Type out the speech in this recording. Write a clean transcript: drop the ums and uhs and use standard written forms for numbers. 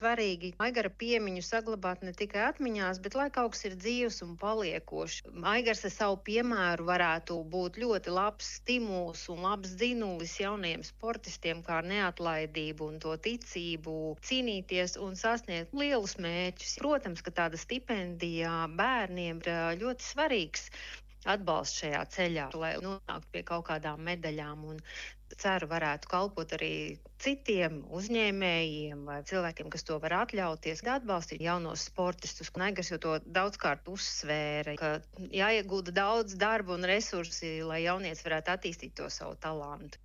Svarīgi Aigara piemiņu saglabāt ne tikai atmiņās, bet lai kaut kas ir dzīves un paliekošs. Aigars ar savu piemēru varētu būt ļoti labs stimuls un labs dzinulis jaunajiem sportistiem, kā ar neatlaidību un to ticību cīnīties un sasniegt lielus mērķus. Protams, ka tāda stipendija bērniem ir ļoti svarīgs atbalsts šajā ceļā, lai nonāktu pie kaut kādām medaļām, un ceru varētu kalpot arī citiem uzņēmējiem vai cilvēkiem, kas to var atļauties, atbalstīt jaunos sportistus. Aigars jau to daudzkārt uzsvēra, ka jāiegulda daudz darba un resursi, lai jaunietis varētu attīstīt to savu talantu.